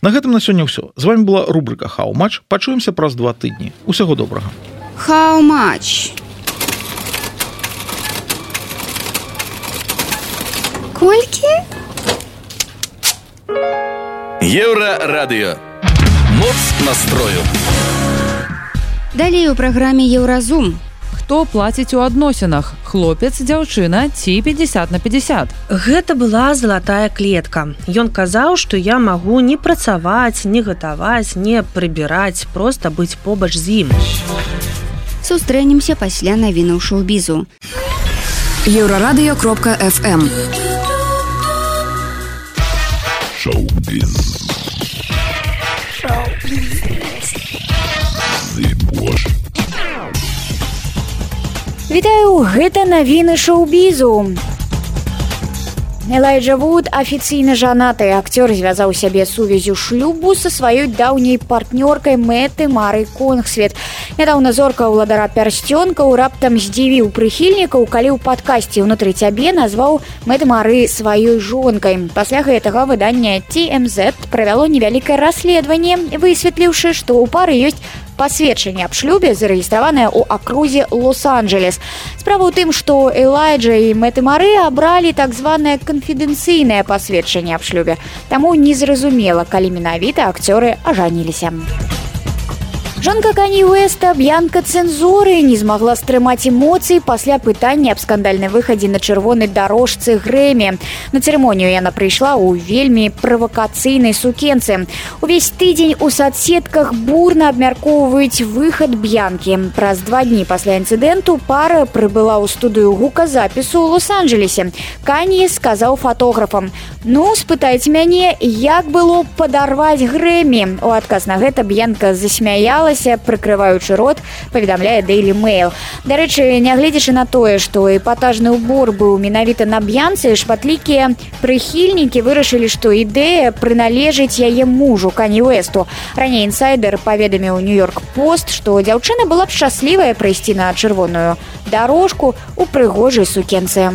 На гэтым на сёння ўсё. З вами была рубрика «How much». Пачуемся праз два тыдні. Усяго добрага. How much? Колькі? Еўрарадыё. Моц настрою. Далей у праграме Еўразум. Хто плаціць у адносінах? Хлопец, дзяўчына ці пятьдесят на пятьдесят? Гэта была залатая клетка. Ён казаў, што я магу не працаваць, не гатаваць, не прыбіраць, проста быць побач з ім. Сустрэнемся пасля навінаў шоу-бізу. Еўрарадыё кропка эф эм. Шоу-біз. Вітаю, гэта навіны шоу-бізу. Элайджа Вуд афіцыйна жанаты. Акцёр звязаў сябе сувязю шлюбу са сваёй даўняй партнёркай Мэты Марай Конгсвет. Нядаўна зорка ўладара пярсцёнкаў раптам здзівіў прыхільнікаў, калі ў падкасці «Унутры цябе» назваў Мэты Мары сваёй жонкай. Пасля гэтага выданне Ти Эм Зет правяло невялікае расследаванне, высветліўшы, што ў пары ёсць пасведчанне аб шлюбе, зарэгістраванае ў акрузе Лос-Анджелес. Справа ў тым, што Элайджа і Мэты Мары абралі так званае канфідэнцыйнае пасведчанне аб шлюбе. Таму незразумела, калі менавіта акцёры ажаніліся. Жонка Канье Уэста Б'янка Цэнзуры не змагла стрымаць эмоцыі пасля пытання аб скандальным выхадзе на чырвонай дарожцы Грэмі. На цырымонію яна прыйшла ў вельмі правакацыйнай сукенцы. Увесь тыдзень у садсетках бурна абмяркоўваюць выхад Б'янкі. Праз два дні пасля інцыдэнту пара прыбыла ў студыю гуказапісу ў Лос-Анджелесе. Канье сказаў фатографам: «Ну, спытайце мяне, як было падарваць Грэмі». У адказ на гэта Б'янка засмяяла захавалася, прыкрываючы рот, паведамляе Daily Mail. Дарэчы, нягледзячы на тое, што эпатажны ўбор быў менавіта на б'янцы, шматлікія прыхільнікі вырашылі, што ідэя прыналежыць яе мужу Кані Уэсту. Раней інсайдер паведаміў Нью-Йорк Пост, што дзяўчына была б шчаслівая прыйсці на чырвоную дарожку ў прыгожай сукенцы.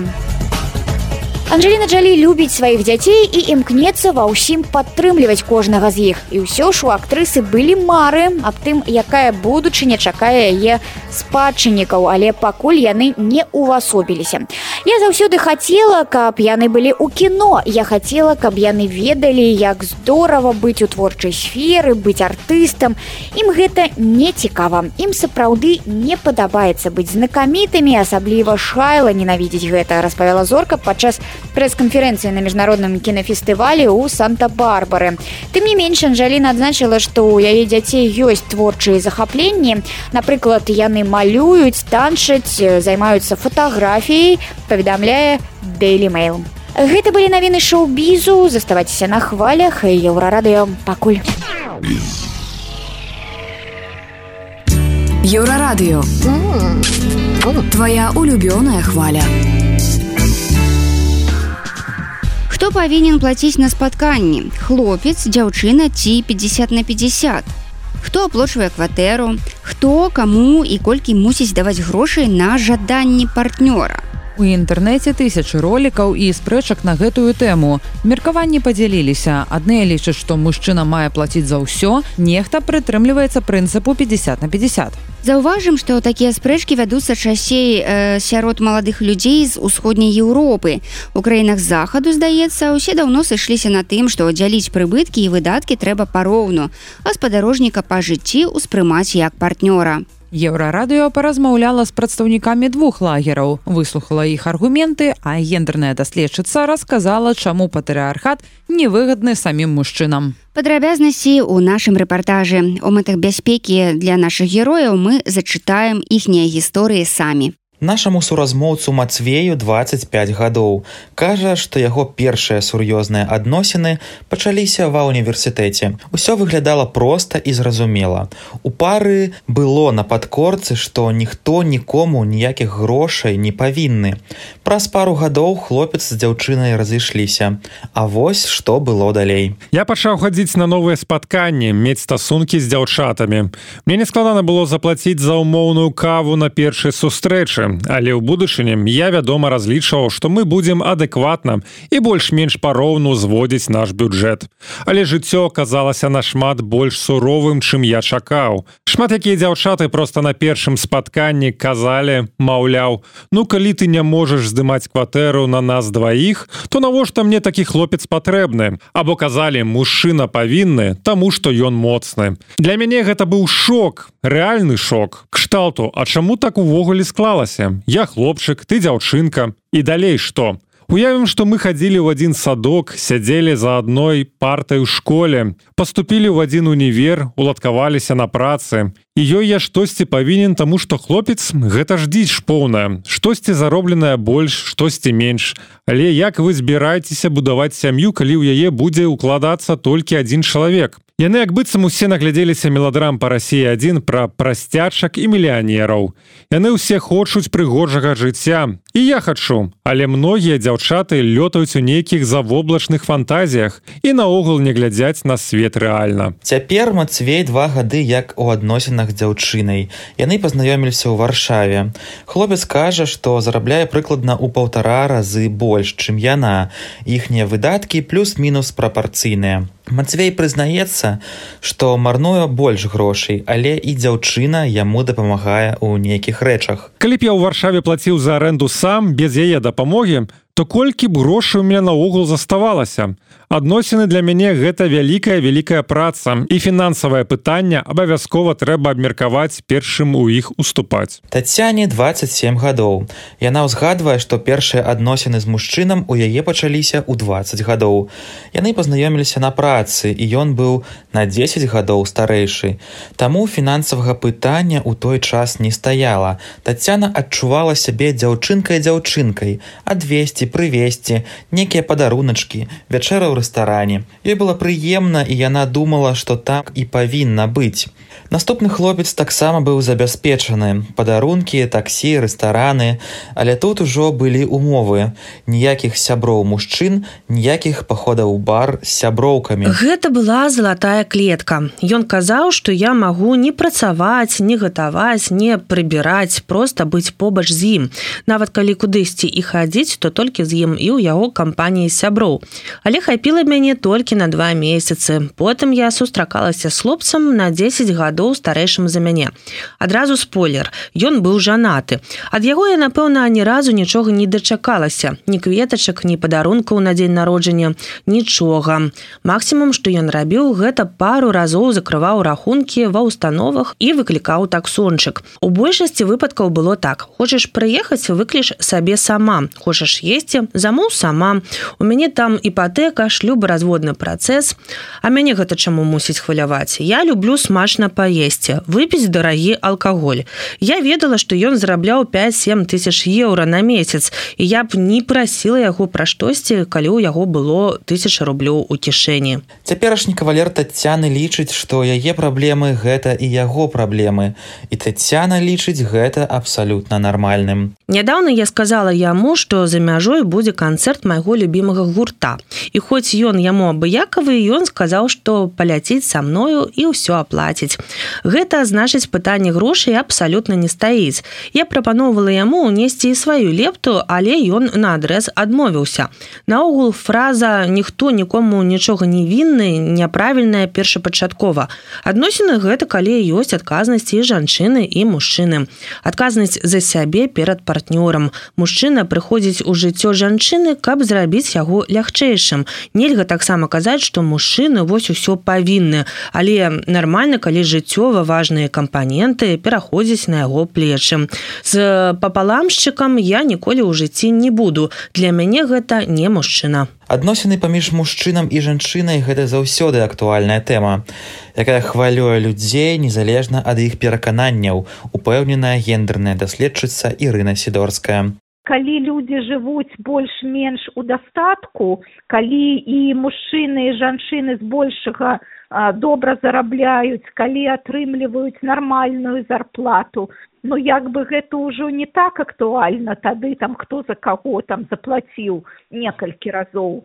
Анджеліна Джолі любіць сваіх дзяцей і імкнецца ва ўсім падтрымліваць кожнага з іх. І ўсё ж у актрысы былі мары аб тым, якая будучыня чакае яе спадчыннікаў, але пакуль яны не ўвасобіліся. Я заўсёды хацела, каб яны былі ў кіно. Я хацела, каб яны ведалі, як здорава быць у творчай сферы, быць артыстам. Ім гэта не цікава. Ім сапраўды не падабаецца быць знакамітымі, асабліва Шайла ненавідзіць гэта, распавяла зорка падчас прэс-канферэнцыі на міжнародным кінафестывалі ў Санта-Барбары. Тым не менш, Анджеліна адзначыла, што ў яе дзяцей ёсць творчыя захапленні. Напрыклад, яны малююць, танчаць, займаюцца фатаграфіяй, паведамляе Daily Mail. Гэта былі навіны шоу-бізу. Заставайцеся на хвалях Еўрарадыё. Пакуль. Еўрарадыё. Твоя улюбёная хваля. Хто павінен плаціць на спатканні? Хлопец, дзяўчына ці пятьдесят на пятьдесят? Хто аплочвае кватэру? Хто, каму і колькі мусіць даваць грошай на жаданні партнёра? У інтэрнэце тысячы ролікаў і спрэчак на гэтую тэму. Меркаванні падзяліліся. Адныя лічаць, што мужчына мае плаціць за ўсё, нехта прытрымліваецца прынцыпу пятьдесят на пятьдесят. Заўважым, што такія спрэчкі вядуцца часцей э, сярод маладых людзей з усходняй Еўропы. У краінах захаду, здаецца, усе даўно сышліся на тым, што дзяліць прыбыткі і выдаткі трэба пароўну, а спадарожніка па жыцці ўспрымаць як партнёра. Еўрарадыё паразмаўляла з прадстаўнікамі двух лагераў, выслухала іх аргументы, а гендерная даследчыца расказала, чаму патрыархат невыгадны самім мужчынам. Падрабязнасці ў нашым рэпартажы. У мэтах бяспекі для нашых герояў мы зачытаем іхнія гісторыі самі. Нашаму суразмоўцу Мацвею двадцать пять гадоў. Кажа, што яго першыя сур'ёзныя адносіны пачаліся ва ўніверсітэце. Усё выглядала проста і зразумела. У пары было на падкорцы, што ніхто нікому ніякіх грошай не павінны. Праз пару гадоў хлопец з дзяўчынай разышліся. А вось што было далей. Я пачаў хадзіць на новыя спатканні, мець стасункі з дзяўчатамі. Мне не складана было заплаціць за ўмоўную каву на першай сустрэчы. Але ў будучыні я, вядома, разлічваў, што мы будзем адэкватна і больш-менш пароўну зводзіць наш бюджэт. Але жыццё аказалася нашмат больш суровым, чым я чакаў. Шмат якія дзяўчаты проста на першым спатканні казалі, маўляў, ну калі ты не можаш здымаць кватэру на нас дваіх, то навошта мне такі хлопец патрэбны? Або казалі, мужчына павінны, таму што ён моцны. Для мяне гэта быў шок, рэальны шок. Кшталту, а чаму так увогуле склалася? Я хлопчык, ты дзяўчынка. І далей што? Уявім, што мы хадзілі ў адзін садок, сядзелі за адной партай у школе, паступілі ў адзін універ, уладкаваліся на працы. І ёй я штосьці павінен, таму што хлопец — гэта ж дзіч поўная. Штосьці заробленае больш, штосьці менш. Але як вы збіраецеся будаваць сям'ю, калі ў яе будзе ўкладацца толькі адзін чалавек? Яны як быццам усе наглядзеліся меладрам па Расіі адзін пра прасцячак і мільянераў. Яны ўсе хочуць прыгожага жыцця. І я хачу. Але многія дзяўчаты лётаюць у нейкіх завоблачных фантазіях і наогул не глядзяць на свет рэальна. Цяпер Мацвей два гады як у адносінах дзяўчынай. Яны пазнаёміліся ў Варшаве. Хлопец кажа, што зарабляе прыкладна ў паўтара разы больш, чым яна. Іхнія выдаткі плюс-мінус прапарцыйныя. Мацвей прызнаецца, што марнуе больш грошай, але і дзяўчына яму дапамагае ў нейкіх рэчах. Калі б я ў Варшаве плаціў за арэнду сам, без яе дапамогі, то колькі б грошай у мяне наогул заставалася. Адносіны для мяне гэта вялікая-вялікая праца, і фінансавае пытанне абавязкова трэба абмеркаваць першым у іх уступаць. Тацяне двадцать семь гадоў. Яна ўзгадвае, што першыя адносіны з мужчынам у яе пачаліся ў двадцать гадоў. Яны пазнаёміліся на працы, і ён быў на дзесяць гадоў старэйшы. Таму фінансавага пытання ў той час не стаяла. Тацяна адчувала сябе дзяўчынкай-дзяўчынкай, адвесці, прывесці, нейкія падаруначкі, вячэра ў рэстаране. Ёй было прыемна, і яна думала, што так і павінна быць. Наступны хлопец таксама быў забяспечаны. Падарункі, таксі, рэстараны, але тут ужо былі умовы. Ніякіх сяброў мужчын, ніякіх паходаў у бар з сяброўкамі. Гэта была залатая клетка. Ён казаў, што я магу не працаваць, не гатаваць, не прыбіраць, проста быць побач з ім. Нават калі кудысьці і хадзіць, то толькі з ім і ў яго кампаніі сяброў. Але хапіла мяне толькі на два месяцы. Потым я сустракалася з хлопцам на дзесяць гадоў старэйшым за мяне. Адразу спойлер, ён быў жанаты. Ад яго я, напэўна, ні разу нічога не дачакалася. Ні кветачак, ні падарункаў на дзень народжання, нічога. Максімум, што ён рабіў, гэта пару разоў закрываў рахункі ва ўстановах і выклікаў таксончык. У большасці выпадкаў было так. Хочаш прыехаць, выкліш сабе сама. Хочаш есці, замоў сама. У мяне там іпатэка, шлюбаразводны працэс. А мяне гэта чаму мусіць хваляваць? Я люблю смачна паесці, выпіць дарагі алкаголь. Я ведала, што ён зарабляў пяць-сем тысяч еўра на месяц, і я б не прасіла яго пра штосьці, калі ў яго было тысяча рублёў у кішэні. Цяперашні кавалер Таццяны лічыць, што яе праблемы гэта і яго праблемы. І Таццяна лічыць гэта абсалютна нармальным. Нядаўна я сказала яму, што за мяжой будзе канцэрт майго любімага гурта. І хоць ён яму абыякавы, ён сказаў, што паляціць са мною і ўсё аплаціць. Гэта значыць, пытанне грошай абсалютна не стаіць. Я прапаноўвала яму ўнесці і сваю лепту, але ён наадрэз адмовіўся. Наогул фраза «ніхто нікому нічога не вінны» няправільная першапачаткова. Адносіны гэта калі ёсць адказнасць і жанчыны, і мужчыны. Адказнасць за сябе перад партнёрам. Мужчына прыходзіць у жыццё жанчыны, каб зрабіць яго лягчэйшым. Нельга таксама казаць, што мужчыны вось усё павінны, але нармальна, калі жыццёва важныя кампаненты пераходзяць на яго плечы. З папаламшчыкам я ніколі ў жыцці не буду. Для мяне гэта не мужчына. Адносіны паміж мужчынам і жанчынай гэта заўсёды актуальная тэма, якая хвалюе людзей незалежна ад іх перакананняў, упэўненая гендерная даследчыца Ірына Сідорская. Калі людзі жывуць больш-менш у дастатку, калі і мужчыны і жанчыны збольшага добра зарабляюць, калі атрымліваюць нармальную зарплату, ну як бы гэта ўжо не так актуальна, тады там хто за каго там заплаціў некалькі разоў.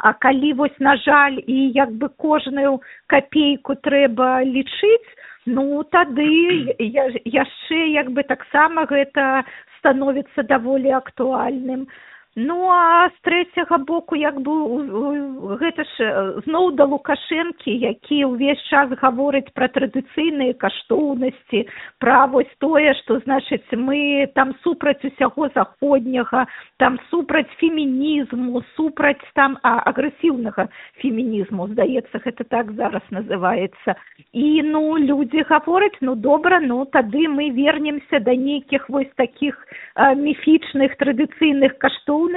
А калі вось, на жаль, і як бы кожную капейку трэба лічыць, ну тады яшчэ як бы таксама гэта становіцца даволі актуальным. Ну, а з трэцяга боку, як бы, гэта ж зноў да Лукашэнкі, які ўвесь час гаворыць пра традыцыйныя каштоўнасці, пра вось тое, што, значыць, мы там супраць усяго заходняга, там супраць фемінізму, супраць там а, агрэсіўнага фемінізму, здаецца, гэта так зараз называецца. І, ну, людзі гавораць, ну, добра, ну, тады мы вернемся да нейкіх вось такіх а, міфічных традыцыйных каштоўнасцей,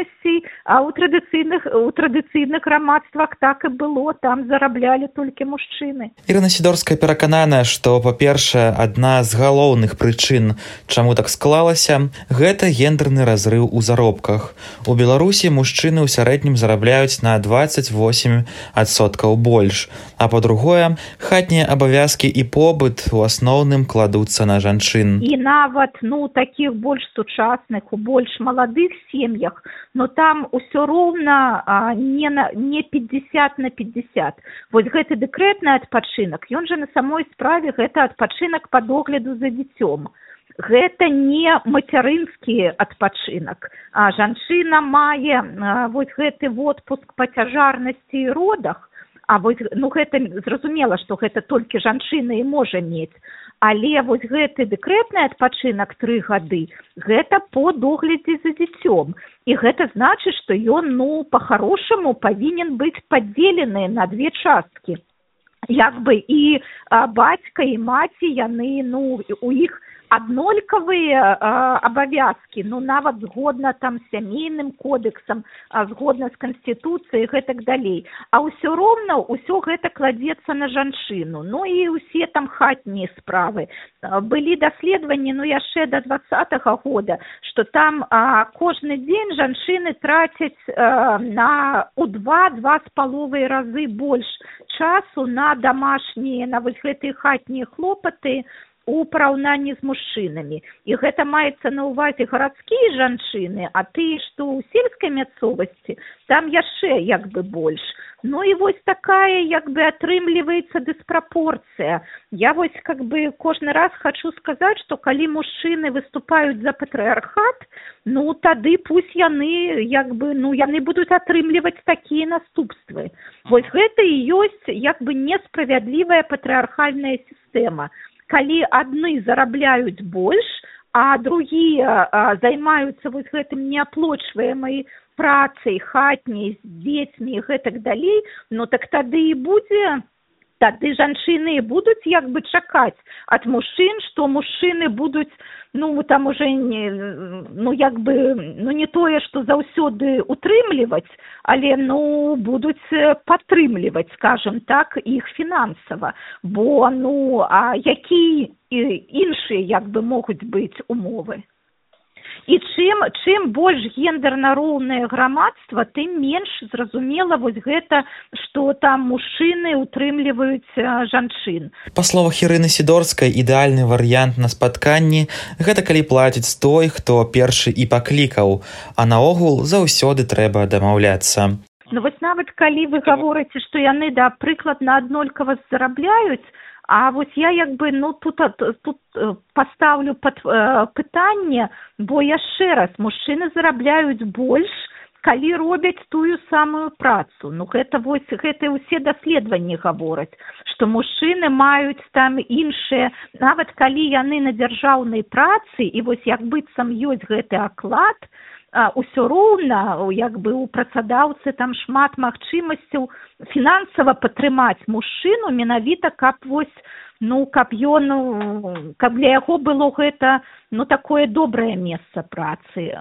а ў традыцыйных у традыцыйных грамадствах так і было, там зараблялі толькі мужчыны. Ірына Сідорская перакананая, што, па-першае, адна з галоўных прычын, чаму так склалася, гэта гендерны разрыў у заробках. У Беларусі мужчыны ў сярэднім зарабляюць на дваццаць восем адсоткаў больш, а па-другое, хатнія абавязкі і побыт у асноўным кладуцца на жанчын. І нават, ну, такіх больш сучасных, у больш маладых сем'ях, но там усё роўна а, не, на, не пятьдесят на пятьдесят. Вось гэты дэкрэтны адпачынак, ён жа на самой справе гэта адпачынак па догляду за дзіцём. Гэта не мацярынскі адпачынак. А жанчына мае а, вось гэты водпуск па цяжарнасці і родах, а вось, ну, гэта зразумела, што гэта толькі жанчына і можа мець. Але вось гэты дэкрэтны адпачынак тры гады, гэта по доглядзе за дзіцём. І гэта значыць, што ён, ну, па-харошаму павінен быць падзелены на две часткі. Як бы і а, бацька, і маці, яны, ну, у іх аднолькавыя абавязкі, ну, нават згодна там з сямейным кодексам, а, згодна з канстытуцыяй і гэтак далей. А ўсё роўна ўсё гэта кладзецца на жанчыну. Ну і ўсе там хатнія справы. Былі даследаванні, ну, яшчэ да двадцатага года, што там а, кожны дзень жанчыны трацяць а, на у два-два з паловай разы больш часу на домашнія, на вось гэтыя хатнія хлопаты у параўнанні з мужчынамі. І гэта маецца на ўвазе гарадскія жанчыны, а ты, што ў сельскай мясцовасці, там яшчэ як бы больш. Ну і вось такая як бы атрымліваецца дыспрапорцыя. Я вось как бы кожны раз хочу сказаць, што калі мужчыны выступаюць за патрыархат, ну тады пусть яны як бы, ну яны будуць атрымліваць такія наступствы. Вось гэта і ёсць як бы несправядлівая патрыархальная сістэма. Калі адны зарабляюць больш, а другія а, займаюцца вось гэтым неаплочваемай працай, хатняй, з дзецьмі і гэтак далей, ну так тады і будзе, тады жанчыны і будуць як бы чакаць ад мужчын, што мужчыны будуць, ну там уже не, ну як бы, ну не тое, што заўсёды утрымліваць, але ну будуць падтрымліваць, скажем так, іх фінансава, бо ну а які іншыя як бы могуць быць умовы? І чым, чым больш гендерна роўнае грамадства, тым менш зразумела вось гэта, што там мужчыны утрымліваюць жанчын. Па словах Ірыны Сідорскай, ідэальны варыянт на спатканні – гэта калі плаціць той, хто першы і паклікаў, а наогул заўсёды трэба дамаўляцца. Ну вось нават калі вы гаворыце, што яны, да, прыкладна аднолькава зарабляюць, а вось я як бы, ну, тут, тут паставлю пад э, пытанне, бо яшчэ раз, мужчыны зарабляюць больш, калі робяць тую самую працу. Ну, гэта вось, гэта ўсе даследаванні гавораць, што мужчыны маюць там іншыя, нават калі яны на дзяржаўнай працы, і вось як быццам ёсць гэты аклад, усё роўна, як бы у працадаўцы там шмат магчымасцяў фінансава падтрымаць мужчыну, менавіта каб вось, ну, каб ён, каб для яго было гэта, ну, такое добрае месца працы.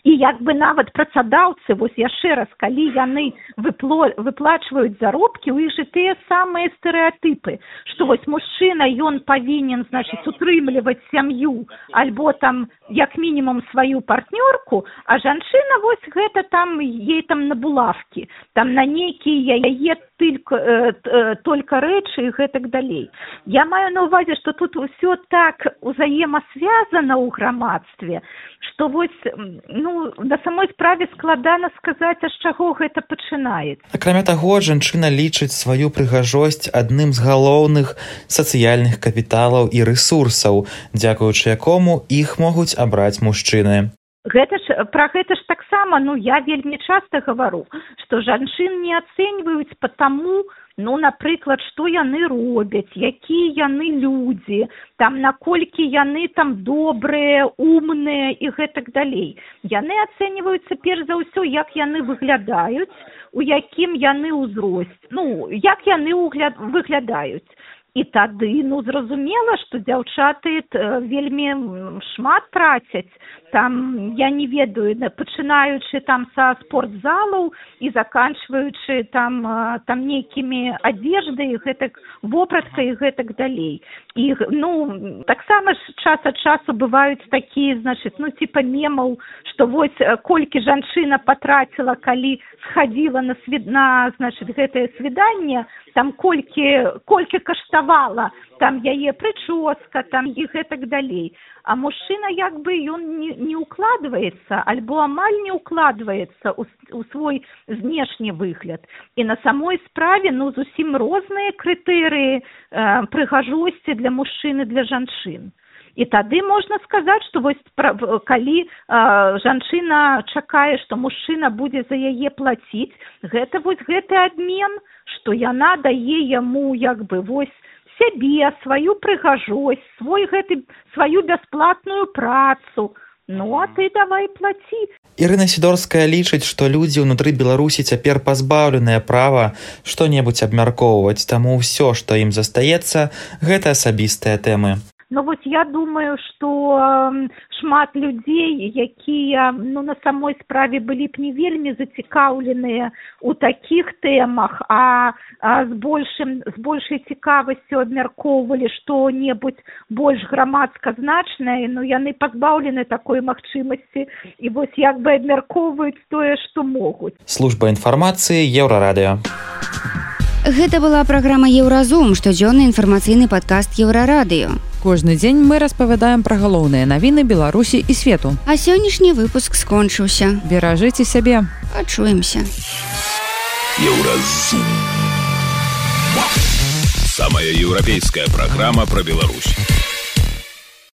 І як бы нават працадаўцы, вось яшчэ раз, калі яны выпло, выплачваюць заробкі, у іх жа тыя самыя стэрэатыпы, што вось мужчына, ён павінен, значыць, утрымліваць сям'ю, альбо там, як мінімум, сваю партнёрку, а жанчына вось гэта там, ей там на булавкі, там на нейкія яе только, э, э, только рэчы і гэтак далей. Я маю на ўвазе, што тут усё так узаемасвязана ў грамадстве, што вось, ну, на самой справе складана сказаць, а з чаго гэта пачынаецца. Акрамя таго, жанчына лічыць сваю прыгажосць адным з галоўных сацыяльных капіталаў і рэсурсаў, дзякуючы якому іх могуць абраць мужчыны. Гэта ж, пра гэта ж таксама, ну, я вельмі часта гавару, што жанчын не ацэньваюць па таму, ну, напрыклад, што яны робяць, якія яны людзі, там, наколькі яны там добрыя, умныя і гэтак далей. Яны ацэньваюцца перш за ўсё, як яны выглядаюць, у якім яны ўзросце, ну, як яны выглядаюць. І тады, ну, зразумела, што дзяўчаты вельмі шмат трацяць. Там, я не ведаю, пачынаючы там са спортзалаў і заканчваючы там, там нейкімі адзеждай, гэтак, вопраткай і гэтак далей. І, ну, таксама ж час ад часу бываюць такія, значыць, ну, типа мемаў, што вось колькі жанчына патраціла, калі схадзіла на, свид... на значыць, гэтае свіданне, там колькі, колькі каштавала, там яе прычоска, там і гэтак далей. А мужчына як бы ён не, не укладваецца, альбо амаль не укладваецца ў, ў свой знешні выгляд. І на самой справе, ну, зусім розныя крытэрыі э, прыгажосці для мужчын і для жанчын. І тады можна сказаць, што вось калі э, жанчына чакае, што мужчына будзе за яе плаціць, гэта вось гэты абмен, што яна дае яму як бы вось сябе, сваю прыгажосць, свой гэты, сваю бясплатную працу. Ну, а ты давай плаці. Ірына Сідорская лічыць, што людзі ўнутры Беларусі цяпер пазбаўленыя права што-небудзь абмяркоўваць, таму ўсё, што ім застаецца, гэта асабістыя тэмы. Ну, вот я думаю, што шмат людзей, якія, ну, на самой справе былі б не вельмі зацікаўленыя ў такіх тэмах, а, а з, большым, з большай цікавасцю абмяркоўвалі што-небудзь больш грамадска значнае, ну, яны пазбаўлены такой магчымасці і вось як бы абмяркоўваюць тое, што могуць. Служба інфармацыі Еўрарадыё. Гэта была праграма Еўразум, штодзённы інфармацыйны падкаст Еўрарадыё. Кожны дзень мы распавядаем пра галоўныя навіны Беларусі і свету. А сённяшні выпуск скончыўся. Беражыце сябе. Пачуемся. Еўразум. Самая еўрапейская праграма пра Беларусь.